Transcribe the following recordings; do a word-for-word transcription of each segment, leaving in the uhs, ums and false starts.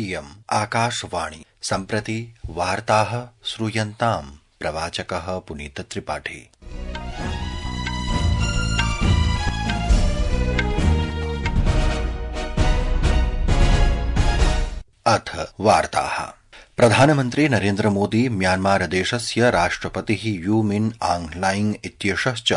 इयम् आकाशवाणी। सम्प्रति वार्ताः श्रूयन्ताम्। प्रवाचकः पुनीत त्रिपाठी। अथ वार्ताः। प्रधानमन्त्री नरेन्द्र मोदी म्यांमार देशस्य राष्ट्रपतिः यू मिन आंग लाइंग इत्येषश्च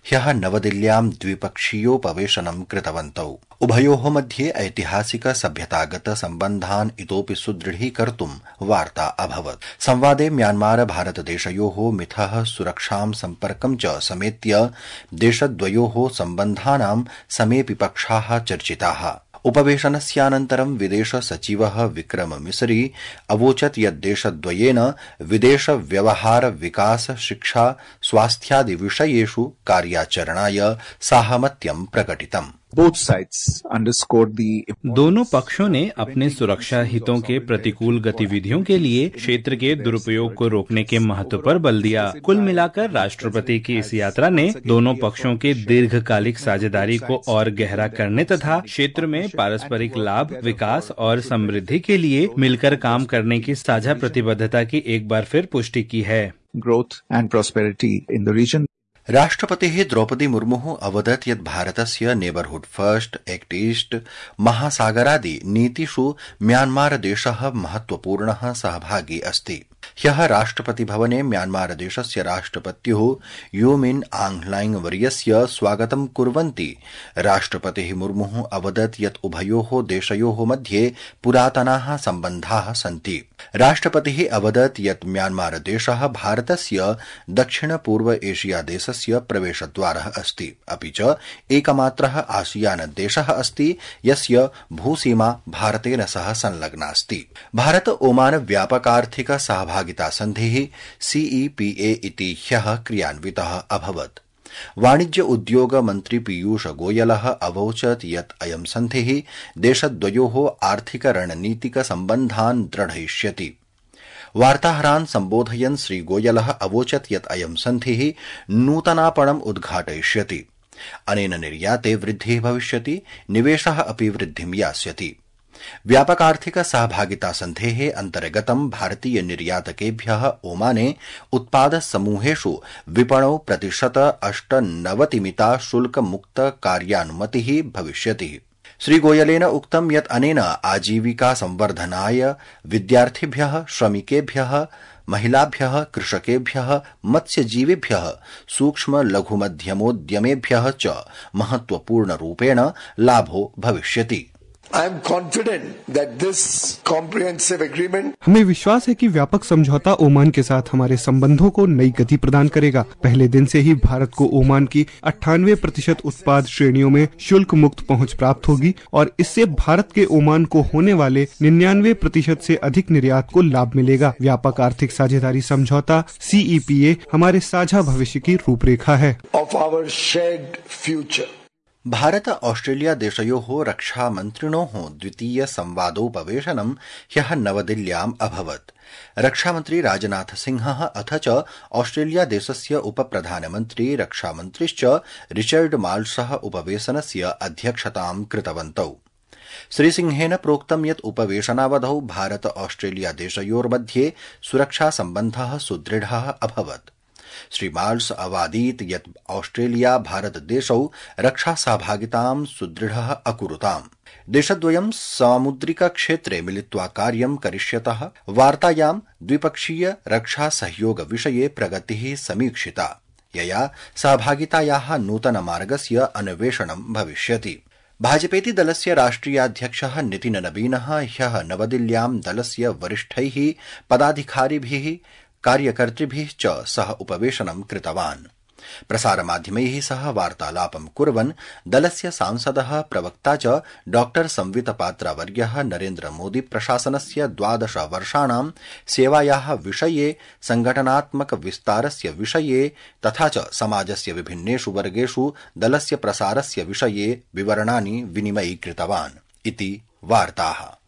ह्यः नवदिल्ल्यां द्विपक्षीयोपवेशनं कृतवन्तौ। उभयोः मध्ये ऐतिहासिक सभ्यतागत सम्बन्धान् इतोपि सुदृढीकर्तुं वार्ता अभवत्। संवादे म्यांमार भारतदेशयोः मिथः सुरक्षां सम्पर्कं च समेत्य देशद्वयोः सम्बन्धानां समेऽपि पक्षाः चर्चिताः। उपवेशनस्यानन्तरं विदेश सचिवः विक्रम मिसरी अवोचत् यत् देशद्वयेन विदेश व्यवहार विकास शिक्षा स्वास्थ्यादि विषयेषु कार्याचरणाय साहमत्यं प्रकटितम्। Both sides underscored the दोनों पक्षों ने अपने सुरक्षा हितों के प्रतिकूल गतिविधियों के लिए क्षेत्र के दुरुपयोग को रोकने के महत्व पर बल दिया। कुल मिलाकर राष्ट्रपति की इस यात्रा ने दोनों पक्षों के दीर्घकालिक साझेदारी को और गहरा करने तथा क्षेत्र में पारस्परिक लाभ, विकास और समृद्धि के लिए मिलकर काम करने की साझा प्रतिबद्धता की एक बार फिर पुष्टि की है। Growth and prosperity in the region. राष्ट्रपतिः द्रौपदी मुर्मुः अवदत् यत् भारतस्य नेबरहुड फर्स्ट, एक्ट ईस्ट, महासागरादि नीतिषु म्यांमार देशः महत्वपूर्णः सहभागी अस्ति। ह्यः राष्ट्रपति भवने म्यांमार देशस्य राष्ट्रपत्युः यू मिन आंग लाइंग वर्यस्य स्वागतं कुर्वन्ति राष्ट्रपतिः मुर्मुः अवदत् यत् उभयोः देशयोः मध्ये पुरातनाः सम्बन्धाः सन्ति। राष्ट्रपतिः अवदत् यत् म्यांमार देशः भारतस्य दक्षिण पूर्व एशिया देशस्य प्रवेशद्वारः अस्ति, अपि च एकमात्रः आसियान देशः अस्ति यस्य भूसीमा भारतेन सह संलग्नास्ति। भारत ओमान व्यापकार्थिक सहभागिता सन्धिः सीईपीए इति ह्यः क्रियान्वितः अभवत्। वाणिज्य उद्योग मन्त्री पीयूष गोयलः अवोचत् यत् अयं सन्धिः देशद्वयोः आर्थिक रणनीतिक सम्बन्धान् दृढयिष्यति। वार्ताहरान् सम्बोधयन् श्री गोयलः अवोचत् यत् अयं सन्धिः नूतनापणम् उद्घाटयिष्यति। अनेन निर्याते वृद्धिः भविष्यति, निवेशः अपि वृद्धिं यास्यति। व्यापकार्थिक सहभागिता सन्धेः अन्तर्गतं भारतीय निर्यातकेभ्यः ओमाने उत्पाद समूहेषु विपणौ प्रतिशत अष्टनवतिमिता शुल्क मुक्त कार्यानुमतिः भविष्यति। श्रीगोयलेन उक्तं यत् अनेन आजीविका संवर्धनाय विद्यार्थिभ्यः, श्रमिकेभ्यः, महिलाभ्यः, कृषकेभ्यः, मत्स्यजीविभ्यः, सूक्ष्म लघुमध्यमोद्यमेभ्यः च महत्वपूर्णरूपेण लाभो भविष्यति। I am confident that this comprehensive agreement हमें विश्वास है कि व्यापक समझौता ओमान के साथ हमारे संबंधों को नई गति प्रदान करेगा। पहले दिन से ही भारत को ओमान की अट्ठानवे प्रतिशत उत्पाद श्रेणियों में शुल्क मुक्त पहुंच प्राप्त होगी और इससे भारत के ओमान को होने वाले निन्यानवे प्रतिशत से अधिक निर्यात को लाभ मिलेगा। व्यापक आर्थिक साझेदारी समझौता सीईपीए हमारे साझा भविष्य की रूपरेखा है। of our shared future. Bharata Australia देशयोः रक्षा मन्त्रिणोः द्वितीय संवादोपवेशनं ह्यः नवदिल्ल्याम् अभवत्। रक्षामन्त्री राजनाथ सिंहः अथ च ऑस्ट्रेलिया देशस्य उपप्रधानमन्त्री रक्षामन्त्रिश्च रिचर्ड माल्सः उपवेशनस्य अध्यक्षतां कृतवन्तौ। श्रीसिंहेन प्रोक्तं यत् उपवेशनावधौ भारत ऑस्ट्रेलिया देशयोर्मध्ये सुरक्षा सम्बन्धः सुदृढः अभवत्। श्री माल्स अवादीत् यत् ऑस्ट्रेलिया भारत देशौ रक्षा सहभागितां सुदृढः अकुरुताम्। देशद्वयं सामुद्रिक क्षेत्रे मिलित्वा कार्यं करिष्यतः। वार्तायां द्विपक्षीय रक्षा सहयोग विषये प्रगतिः समीक्षिता, यया सहभागितायाः नूतन मार्गस्य अन्वेषणं भविष्यति। भाजपेति दलस्य राष्ट्रियाध्यक्षः नितिन नवीनः ह्यः नवदिल्ल्यां दलस्य वरिष्ठैः पदाधिकारिभिः कार्यकर्तृभिः च सह उपवेशनं कृतवान्। प्रसारमाध्यमैः सह वार्तालापं कुर्वन् दलस्य सांसदः प्रवक्ता च डॉक्टर संवित पात्रावर्यः नरेन्द्र मोदी प्रशासनस्य द्वादश वर्षाणां सेवायाः विषये, संघटनात्मक विस्तारस्य विषये तथा च समाजस्य विभिन्नेषु वर्गेषु दलस्य प्रसारस्य विषये विवरणानि विनिमयीकृतवान् इति वार्ताः।